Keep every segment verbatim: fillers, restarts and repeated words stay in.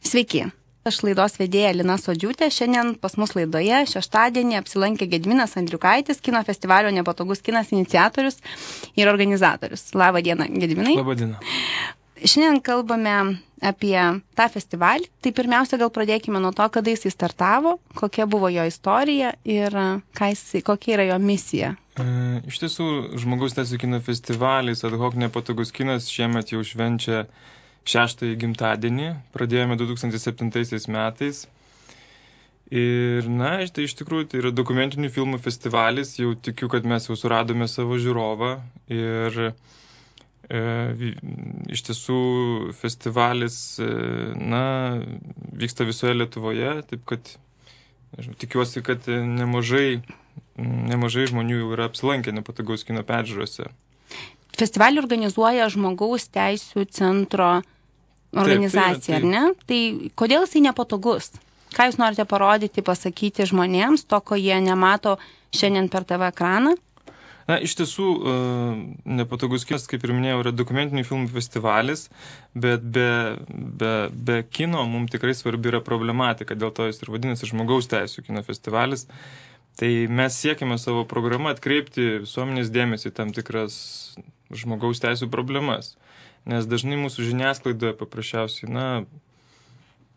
Sveiki, aš laidos vedėja Lina Sodžiūtė. Šiandien pas mus laidoje šeštadienį apsilankė Gediminas Andriukaitis, kino festivalio Nepatogus kinas iniciatorius ir organizatorius. Labą dieną, Gediminai. Labą dieną. Šiandien kalbame apie tą festivalį. Tai pirmiausia, gal pradėkime nuo to, kada jis startavo, kokia buvo jo istorija ir jis, kokia yra jo misija. E, iš tiesų, Žmogaus teisių kino festivalis Ad hoc Nepatogus kinas šiemet jau švenčia šeštąjį gimtadienį, pradėjome du tūkstančiai septintaisiais metais. Ir, na, tai iš tikrųjų tai yra dokumentinių filmų festivalis, jau tikiu, kad mes jau suradome savo žiūrovą. Ir e, iš tiesų festivalis, e, na, vyksta visoje Lietuvoje, taip kad nežinau, tikiuosi, kad nemažai, nemažai žmonių jau yra apsilankę Nepatogaus kino peržiūrose. Festivalį organizuoja Žmogaus teisių centro organizacija, taip, taip, taip. ar ne? Tai kodėl jisai nepatogus? Ką jūs norite parodyti, pasakyti žmonėms, to, ko jie nemato šiandien per T V ekraną? Na, iš tiesų, Nepatogus kinas, kaip ir minėjau, yra dokumentinių filmų festivalis, bet be, be, be kino mums tikrai svarbi yra problematika, dėl to jis ir vadinasi Žmogaus teisių kino festivalis. Tai mes siekime savo programą atkreipti visuomenės dėmesį tam tikras žmogaus teisų problemas. Nes dažnai mūsų žiniasklaidoje paprasčiausiai, na,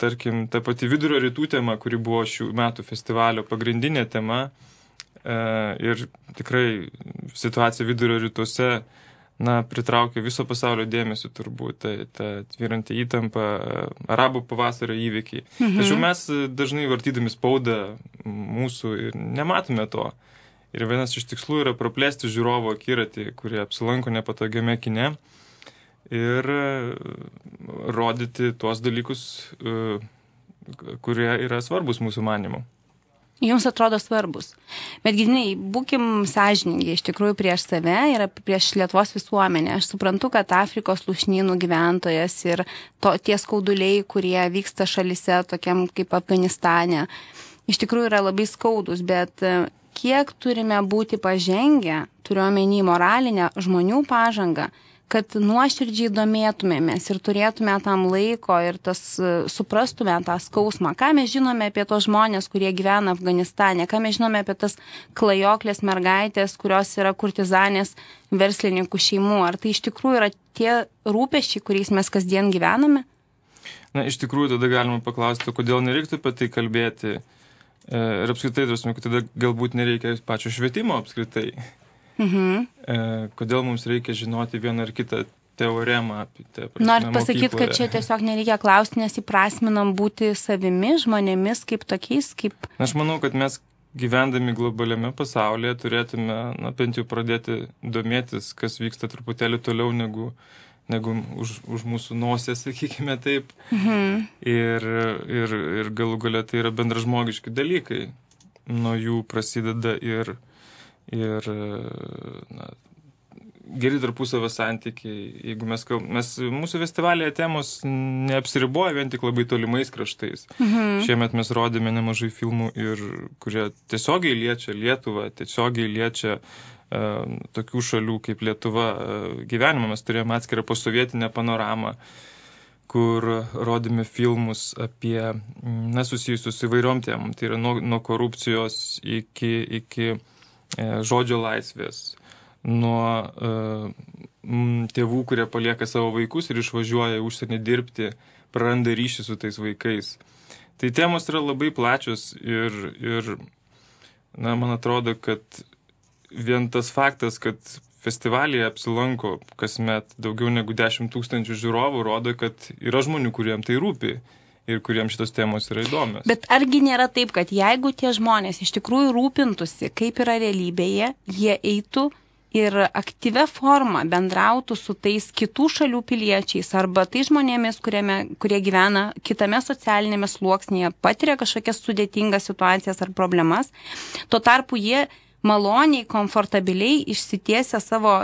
tarkim, ta pati vidurio rytų tema, kuri buvo šių metų festivalio pagrindinė tema, e, ir tikrai situacija vidurio rytuose, na, pritraukia viso pasaulio dėmesį turbūt, ta, ta tvyranti įtampa, arabų pavasario įvykiai. Mhm. Tačiau mes dažnai vartydami spaudą mūsų ir nematome to. Ir vienas iš tikslų yra praplėsti žiūrovo akiratį, kurie apsilanko nepatogiame kine, ir rodyti tuos dalykus, kurie yra svarbus mūsų manymu. Jums atrodo svarbus. Bet, Gediminai, būkim sąžiningi iš tikrųjų prieš save ir prieš Lietuvos visuomenę. Aš suprantu, kad Afrikos lūšnynų gyventojas ir to, tie skauduliai, kurie vyksta šalyse, tokiam kaip Afganistane, iš tikrųjų yra labai skaudus, bet kiek turime būti pažengę, turiuomenį moralinę žmonių pažangą, kad nuoširdžiai domėtumėmės ir turėtume tam laiko ir tas, suprastume tą skausmą. Ką mes žinome apie tos žmonės, kurie gyvena Afganistane, ką mes žinome apie tas klajoklės mergaitės, kurios yra kurtizanės verslininkų šeimų. Ar tai iš tikrųjų yra tie rūpesčiai, kuriais mes kasdien gyvename? Na, iš tikrųjų, tada galima paklausti, kodėl nereiktų apie tai kalbėti. Ir apskritai, kad tada galbūt nereikia pačio švietimo apskritai. Mhm. E, kodėl mums reikia žinoti vieną ar kitą teoremą apie te, prasme, Norit pasakyti, mokykloje. kad čia tiesiog nereikia klausti, nes įprasminam būti savimi, žmonėmis kaip tokiais, kaip... Aš manau, kad mes gyvendami globaliame pasaulyje turėtume, na, bent jau pradėti domėtis, kas vyksta truputėlį toliau negu, negu už, už mūsų nosės, sakykime taip. Mhm. Ir, ir, ir galų galia tai yra bendražmogiški dalykai. Nuo jų prasideda ir ir na, geri tarpusavio santykiai. Jeigu mes, mes mūsų festivalėje temos neapsiriboja vien tik labai tolimais kraštais. Mhm. Šiemet mes rodėme nemažai filmų, ir, kurie tiesiogiai liečia Lietuvą, tiesiogiai liečia uh, tokių šalių kaip Lietuva uh, gyvenimą. Mes turėjome atskirą posovietinę panoramą, kur rodėme filmus apie, na, susijusius įvairiom temom. Tai yra nuo, nuo korupcijos iki, iki žodžio laisvės, nuo uh, tėvų, kurie palieka savo vaikus ir išvažiuoja užsienį dirbti, praranda ryšį su tais vaikais. Tai temos yra labai plačios ir, ir na, man atrodo, kad vien tas faktas, kad festivalyje apsilanko kasmet daugiau negu dešimt tūkstančių žiūrovų, rodo, kad yra žmonių, kuriem tai rūpi ir kuriems šitos temos yra įdomios. Bet argi nėra taip, kad jeigu tie žmonės iš tikrųjų rūpintųsi, kaip yra realybėje, jie eitų ir aktyvia forma bendrautų su tais kitų šalių piliečiais arba tai žmonėmis, kuriame, kurie gyvena kitame socialinėme sluoksnėje, patiria kažkokias sudėtingas situacijas ar problemas. Tuo tarpu jie maloniai, komfortabiliai išsitiesia savo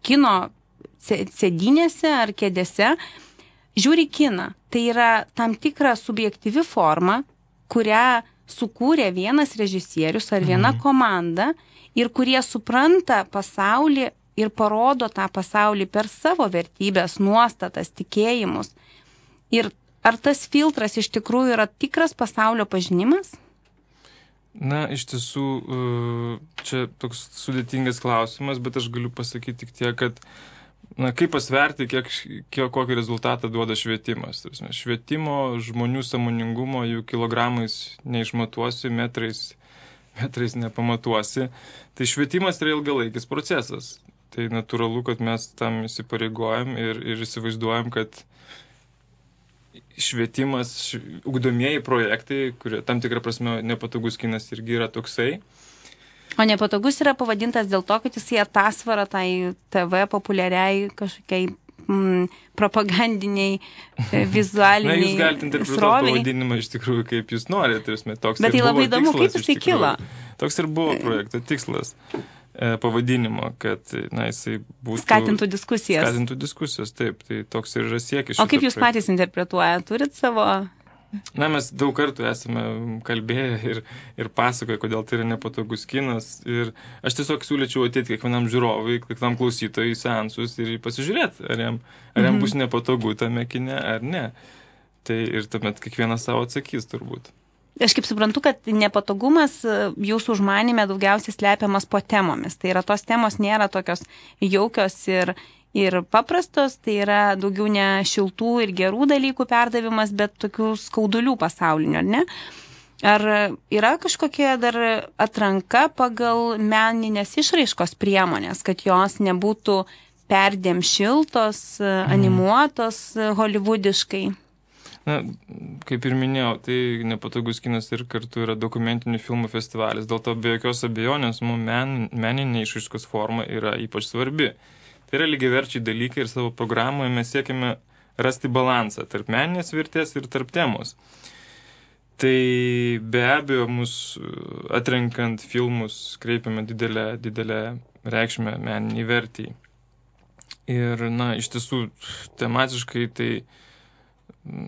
kino sėdynėse ar kėdėse, žiūri kiną. Tai yra tam tikra subjektyvi forma, kurią sukūrė vienas režisierius ar viena mhm. komanda ir kurie supranta pasaulį ir parodo tą pasaulį per savo vertybės, nuostatas, tikėjimus. Ir ar tas filtras iš tikrųjų yra tikras pasaulio pažinimas? Na, iš tiesų, čia toks sudėtingas klausimas, bet aš galiu pasakyti tik tiek, kad na, kaip pasverti, kiek, kiek kokį rezultatą duoda švietimas. Švietimo žmonių sąmoningumo jų kilogramais neišmatuosi, metrais, metrais nepamatuosi. Tai švietimas yra ilgalaikis procesas. Tai natūralu, kad mes tam įsipareigojam ir, ir įsivaizduojam, kad švietimas, ugdomieji projektai, kurie tam tikrą prasme nepatogus kinas irgi yra toksai. O nepatogus yra pavadintas dėl to, kad jisai atasvara tai T V populiariai kažkokiai mm, propagandiniai, vizualiniai Na, jūs galite interpretuoti pavadinimą iš tikrųjų, kaip jūs norite. Toks Bet tai labai įdomu, kaip jisai kilo. Toks ir buvo projekto tikslas. Pavadinimo, kad na, jisai būtų... Skatintų diskusijas. Skatintų diskusijas, taip. Tai toks ir yra siekis. O kaip jūs projekto. Patys interpretuoja? Turit savo... Na, mes daug kartų esame kalbėję ir, ir pasakoję, kodėl tai yra nepatogus kinas. Ir aš tiesiog siūlyčiau ateiti kiekvienam žiūrovui, kiekvienam klausytojui į seansus ir pasižiūrėti, ar jam, ar jam mm-hmm. bus nepatogu tame kine, ar ne. Tai ir tuomet kiekvienas savo atsakys turbūt. Aš kaip suprantu, kad nepatogumas jūsų užmanime daugiausiai slepiamas po temomis. Tai yra tos temos nėra tokios jaukios ir, ir paprastos, tai yra daugiau ne šiltų ir gerų dalykų perdavimas, bet tokių skaudulių pasaulinių, ar ne? Ar yra kažkokia dar atranka pagal meninės išraiškos priemonės, kad jos nebūtų perdėm šiltos, animuotos holivudiškai? Na, kaip ir minėjau, tai nepatogus kinas ir kartu yra dokumentinių filmų festivalis. Dėl to be jokios abejonės mums men, meninė išraiškos forma yra ypač svarbi. Tai yra lygiaverčiai dalykai ir savo programoje mes siekime rasti balansą tarp meninės vertės ir tarp temos. Tai be abejo, mus atrenkant filmus kreipiame didelę, didelę reikšmę meniniai vertėjai. Ir, na, iš tiesų, tematiškai tai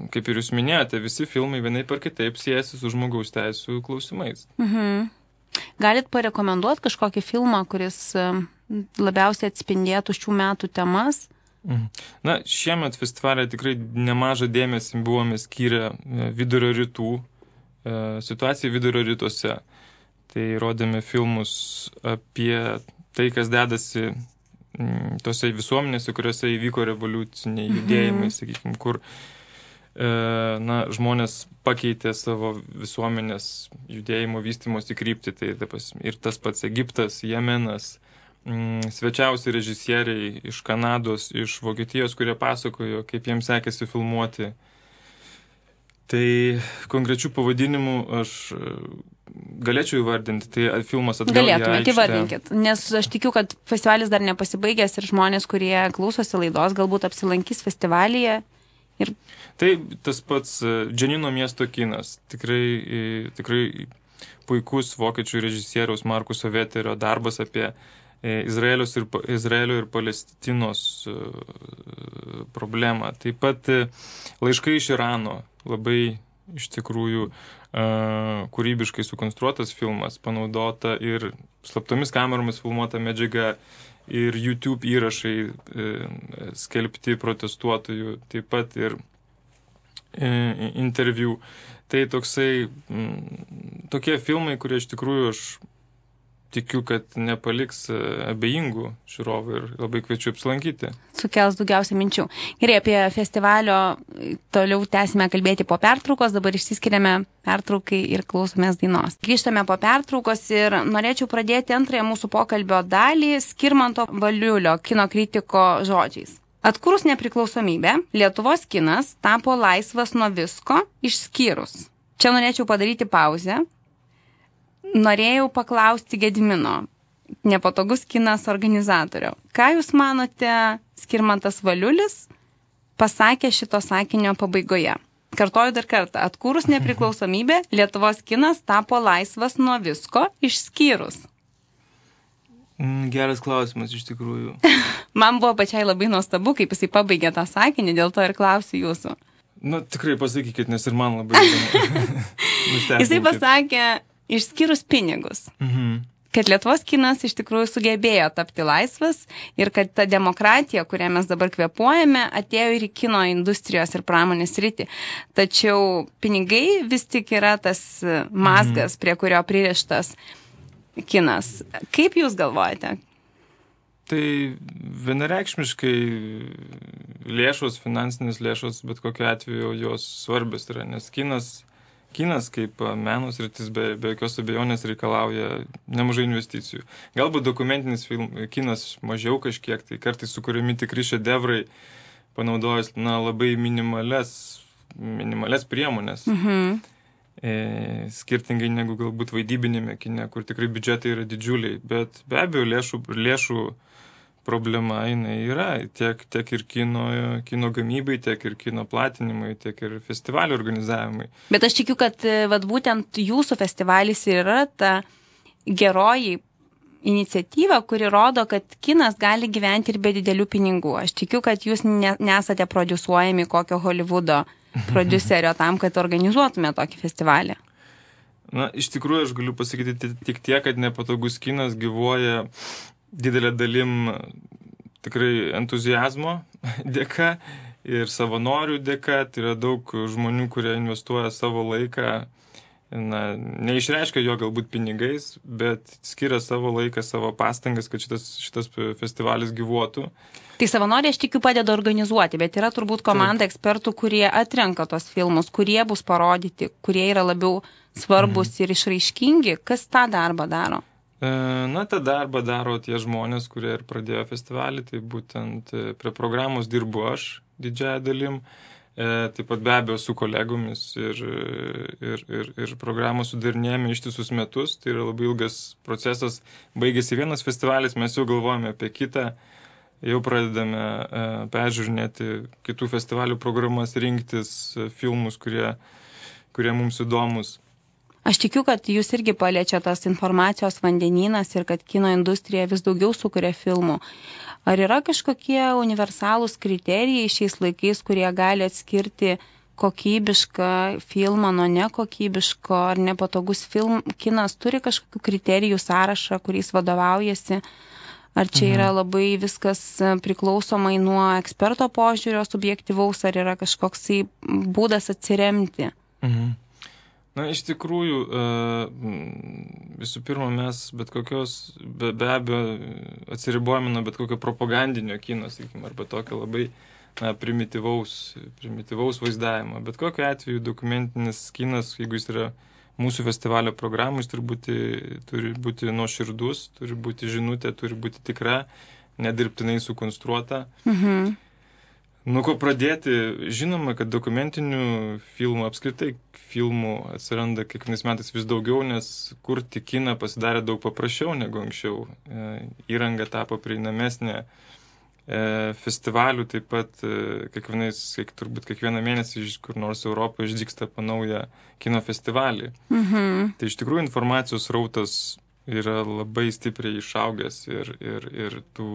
kaip ir jūs minėjote, visi filmai vienaip ar kitaip siejasi su žmogaus teisų klausimais. Mhm. Galit parekomenduoti kažkokį filmą, kuris labiausiai atspindėtų šių metų temas? Mhm. Na, šiemet festivalė tikrai nemažą dėmesį buvome skyrę vidurio rytų, situacijai vidurio rytuose. Tai rodėme filmus apie tai, kas dedasi tose visuomenėse, kuriuose įvyko revoliuciniai judėjimai, mhm. sakykime, kur na, žmonės pakeitė savo visuomenės judėjimo vystymosi kryptį. Tai ir tas pats Egiptas, Jemenas, svečiausi režisieriai iš Kanados, iš Vokietijos, kurie pasakojo, kaip jiems sekėsi filmuoti. Tai konkrečių pavadinimų aš galėčiau įvardinti. Tai filmas atgal į aikštę. Galėtumėte, įvardinkit. Nes aš tikiu, kad festivalis dar nepasibaigęs ir žmonės, kurie klausosi laidos, galbūt apsilankys festivalyje. Ir... Tai tas pats Dženino miesto kinas, tikrai, tikrai puikus vokiečių režisieriaus Markuso Veterio darbas apie Izraelio ir, Izraelio ir Palestinos problemą. Taip pat Laiškai iš Irano, labai iš tikrųjų kūrybiškai sukonstruotas filmas, panaudota ir slaptomis kameromis filmuota medžiaga, ir YouTube įrašai e, skelbti protestuotojų, taip pat ir e, interviu. Tai toksai, m, tokie filmai, kurie iš tikrųjų aš tikiu, kad nepaliks abejingų žiūrovų ir labai kviečiu apsilankyti. Sukels daugiausia minčių. Gerai, apie festivalio toliau tęsime kalbėti po pertraukos, dabar išsiskiriame pertraukai ir klausomės dainos. Grįžtame po pertraukos ir norėčiau pradėti antrąją mūsų pokalbio dalį Skirmanto Valiulio kino kritiko žodžiais. Atkūrus nepriklausomybę, Lietuvos kinas tapo laisvas nuo visko išskyrus. Čia norėčiau padaryti pauzę. Norėjau paklausti Gedimino, nepatogus kinas organizatorių. Ką jūs manote, Skirmantas Valiulis pasakė šito sakinio pabaigoje? Kartoju dar kartą. Atkūrus nepriklausomybę, Lietuvos kinas tapo laisvas nuo visko išskyrus. Geras klausimas iš tikrųjų. Man buvo pačiai labai nuostabu, kaip jisai pabaigė tą sakinį, dėl to ir klausiu jūsų. Nu, tikrai pasakykit, nes ir man labai įdomu. Jisai pasakė, išskyrus pinigus. Mhm. kad Lietuvos kinas iš tikrųjų sugebėjo tapti laisvas ir kad ta demokratija, kurią mes dabar kvėpuojame, atėjo ir į kino industrijos ir pramonės sritį. Tačiau pinigai vis tik yra tas mazgas, prie kurio pririštas kinas. Kaip jūs galvojate? Tai vienareikšmiškai lėšos, finansinės lėšos, bet kokiu atveju jos svarbios yra, nes kinas Kinas kaip meno sritis be, be jokios abejonės reikalauja nemažai investicijų. Galbūt dokumentinis film, kinas mažiau kažkiek, tai kartais sukuriami tikri šedevrai, panaudojus na, labai minimales, minimales priemonės. Mhm. E, skirtingai negu galbūt vaidybinėme kine, kur tikrai biudžetai yra didžiuliai. Bet be abejo lėšų, lėšų problema jinai yra tiek, tiek ir kino, kino gamybai, tiek ir kino platinimai, tiek ir festivalio organizavimai. Bet aš tikiu, kad vat, būtent jūsų festivalis yra ta geroji iniciatyva, kuri rodo, kad kinas gali gyventi ir be didelių pinigų. Aš tikiu, kad jūs ne, nesate prodiusuojami kokio Hollywoodo prodiuserio tam, kad organizuotume tokį festivalį. Na, iš tikrųjų, aš galiu pasakyti tik tiek, kad Nepatogus kinas gyvuoja didelė dalim tikrai entuziazmo dėka ir savanorių dėka. Tai yra daug žmonių, kurie investuoja savo laiką, na, neišreiškia jo galbūt pinigais, bet skiria savo laiką, savo pastangas, kad šitas, šitas festivalis gyvuotų. Tai savanoriai, aš tikiu, padeda organizuoti, bet yra turbūt komanda Taip. ekspertų, kurie atrenka tos filmus, kurie bus parodyti, kurie yra labiau svarbus mhm. ir išraiškingi. Kas tą darbą daro? Na, tą darbą daro tie žmonės, kurie ir pradėjo festivalį, tai būtent prie programos dirbu aš didžiąją dalim, taip pat be abejo su kolegomis ir, ir, ir, ir programą sudarinėjame ištisus metus, tai yra labai ilgas procesas, baigėsi vienas festivalis, mes jau galvojame apie kitą, jau pradedame peržiūrinėti kitų festivalių programas, rinktis filmus, kurie, kurie mums įdomus. Aš tikiu, kad jūs irgi paliečia tas informacijos vandenynas ir kad kino industrija vis daugiau sukuria filmų. Ar yra kažkokie universalūs kriterijai šiais laikais, kurie gali atskirti kokybišką filmą nuo nekokybiško, ar nepatogus film, kinas turi kažkokių kriterijų sąrašą, kuriais vadovaujasi? Ar čia yra labai viskas priklausomai nuo eksperto požiūrio subjektyvaus, ar yra kažkoksai būdas atsiremti? Mhm. Na, iš tikrųjų, visų pirma, mes bet kokios, be, be abejo, atsiribojame nuo bet kokio propagandinio kino, sakykime, arba tokio labai na, primityvaus, primityvaus vaizdavimo. Bet kokiu atveju dokumentinis kinas, jeigu jis yra mūsų festivalio programų, jis turi būti, turi būti nuoširdus, turi būti žinutė, turi būti tikra, nedirbtinai sukonstruota. Mhm. Nuo ko pradėti? Žinoma, kad dokumentinių filmų, apskritai filmų atsiranda kiekvienais metais vis daugiau, nes kurti kiną pasidarė daug paprasčiau negu anksčiau. Įranga tapo prieinamesnė, festivalių taip pat kiekvienais, kiek, turbūt kiekvieną mėnesį kur nors Europoje išdygsta po naują kino festivalį. Mhm. Tai iš tikrųjų informacijos rautas yra labai stipriai išaugęs ir, ir, ir tų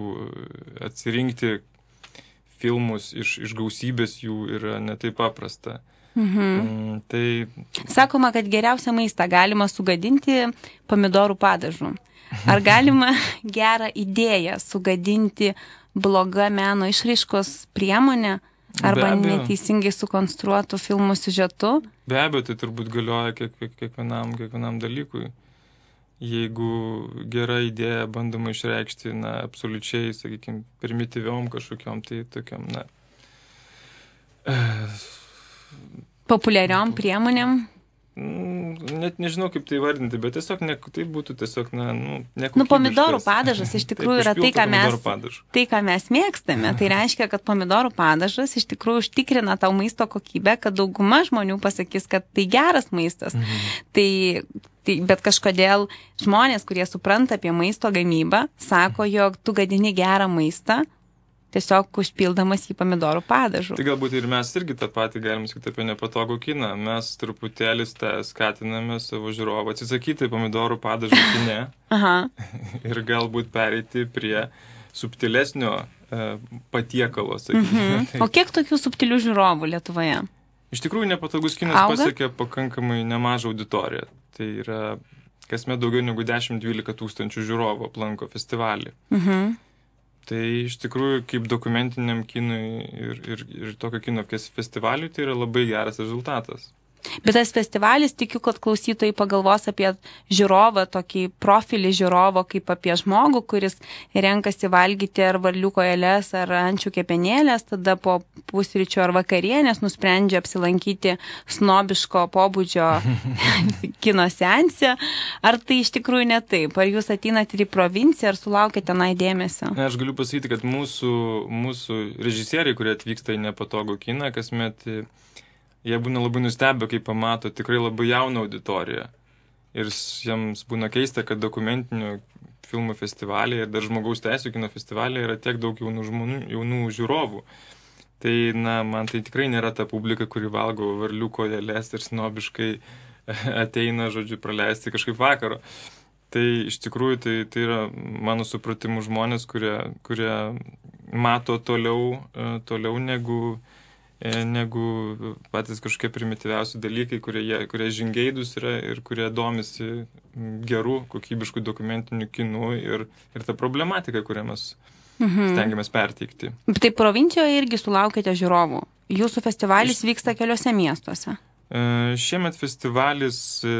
atsirinkti filmus iš, iš gausybės jų yra netaip paprasta. Mhm. Mm, tai... Sakoma, kad geriausią maistą galima sugadinti pomidorų padažu. Ar galima gerą idėją sugadinti blogą meno išraiškos priemonę arba neteisingai sukonstruotų filmų siužetu? Be abejo, tai turbūt galioja kiek, kiek, kiekvienam, kiekvienam dalykui. Jeigu gera idėja bandoma išreikšti, na, absoliučiai, sakykime, primityviom kažkokiom, tai tokiam, na... Populiariom priemonėm? Net nežinau, kaip tai vardinti, bet tiesiog ne, tai būtų tiesiog, na, nu, nekokybiškas. Nu, pomidorų padažas iš tikrųjų yra tai ką, mes, tai, ką mes mėgstame. Tai reiškia, kad pomidorų padažas iš tikrųjų užtikrina tau maisto kokybę, kad dauguma žmonių pasakys, kad tai geras maistas. Mhm. Tai, tai, bet kažkodėl žmonės, kurie supranta apie maisto gamybą, sako, jog tu gadini gerą maistą, tiesiog užpildamas į pomidorų padažų. Tai galbūt ir mes irgi tą patį galim sakyti apie nepatogų kiną. Mes truputėlį skatiname savo žiūrovą atsisakyti pomidorų padažų kine ir galbūt pereiti prie subtilesnio e, patiekalo, sakykime. Mhm. O kiek tokių subtilių žiūrovų Lietuvoje? Iš tikrųjų, nepatogus kinas Auga? pasiekė pakankamai nemažą auditoriją. Tai yra kasmet daugiau negu dešimt dvylika tūkstančių žiūrovų aplanko festivalį. Mhm. Tai iš tikrųjų, kaip dokumentiniam kinui ir, ir, ir tokio kino festivaliui, tai yra labai geras rezultatas. Bet tas festivalis, tikiu, kad klausytojai pagalvos apie žiūrovą, tokį profilį žiūrovo, kaip apie žmogų, kuris renkasi valgyti ar varlių kojeles, ar ančių kepenėlės, tada po pusryčio ar vakarienės nusprendžia apsilankyti snobiško pobūdžio kino seanse. Ar tai iš tikrųjų ne taip? Ar jūs ateinate ir į provinciją, ar sulaukite tenai dėmesio? Aš galiu pasakyti, kad mūsų, mūsų režisieriai, kurie atvyksta į nepatogų kiną, kasmet jie būna labai nustebę, kai pamato tikrai labai jauną auditoriją. Ir jiems būna keista, kad dokumentinių filmų festivalėje ir dar žmogaus teisų kino festivalėje yra tiek daug jaunų žmonių, jaunų žiūrovų. Tai, na, man tai tikrai nėra ta publika, kuri valgo varlių kojeles ir snobiškai ateina, žodžiu, praleisti kažkaip vakaro. Tai iš tikrųjų tai, tai yra mano supratimų žmonės, kurie, kurie mato toliau, toliau negu negu patys kažkokie primityviausi dalykai, kurie, kurie žingeidus yra ir kurie domisi gerų, kokybiškų dokumentinių kinų ir, ir tą problematiką, kurią mes mhm. stengiamės perteikti. Tai provincijoje irgi sulaukėte žiūrovų. Jūsų festivalis Iš... vyksta keliose miestuose. E, šiemet festivalis e,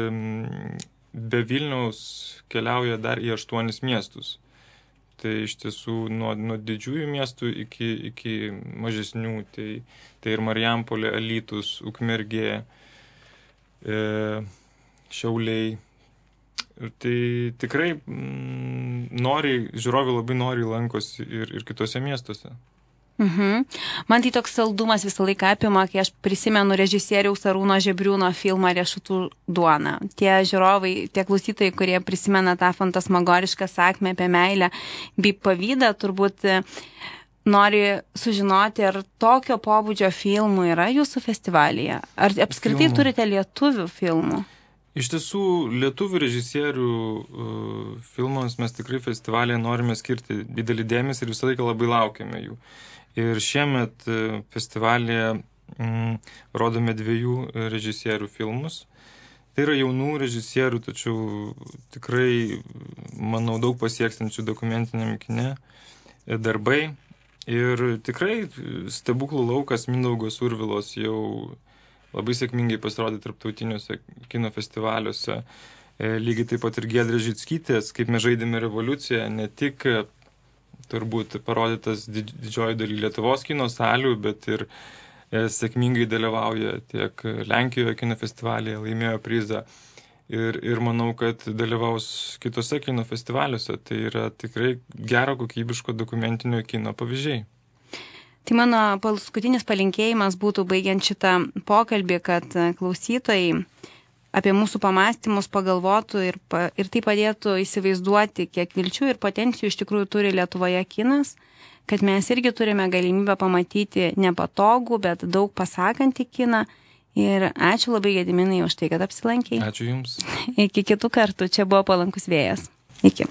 be Vilniaus keliauja dar į aštuonis miestus. Tai iš tiesų nuo, nuo didžiųjų miestų iki, iki mažesnių, tai, tai ir Marijampolė, Alytus, Ukmergė, e, Šiauliai. Ir tai tikrai mm, noriai, žiūrovai labai noriai lankosi ir, ir kitose miestuose. Mhm. Man tai toks saldumas visą laiką apima, kai aš prisimenu režisieriaus Arūno Žebriūno filmą Riešutų duona. Tie žiūrovai, tie klausytojai, kurie prisimena tą fantasmagorišką sakmę apie meilę bei pavydą, turbūt nori sužinoti, ar tokio pobūdžio filmų yra jūsų festivalyje. Ar apskritai filmų. Turite lietuvių filmų? Iš tiesų, lietuvių režisierių uh, filmams mes tikrai festivalyje norime skirti didelį dėmesį ir visą laiką labai laukiame jų. Ir šiemet festivalyje mm, rodome dviejų režisierių filmus. Tai yra jaunų režisierių, tačiau tikrai, manau, daug pasiekstančių dokumentiniam kine darbai. Ir tikrai Stebuklų laukas Mindaugo Survilos jau labai sėkmingai pasirodė tarptautiniuose kino festivaliuose. Lygiai taip pat ir Giedrės Žickytės, kaip mes žaidėme revoliuciją, ne tik turbūt parodytas didžioji daly Lietuvos kino salių, bet ir e, sėkmingai dalyvauja tiek Lenkijoje kino festivalyje, laimėjo prizą ir, ir manau, kad dalyvaus kitose kino festivaliuose. Tai yra tikrai gero kokybiško dokumentinio kino pavyzdžiai. Tai mano paskutinis palinkėjimas būtų baigiant šitą pokalbį, kad klausytojai apie mūsų pamastymus pagalvotų ir, pa, ir tai padėtų įsivaizduoti, kiek vilčių ir potencijų iš tikrųjų turi Lietuvoje kinas, kad mes irgi turime galimybę pamatyti nepatogų, bet daug pasakantį kiną. Ir ačiū labai, Gediminai, už tai, kad apsilankei. Ačiū Jums. Iki kitų kartų. Čia buvo Palankus vėjas. Iki.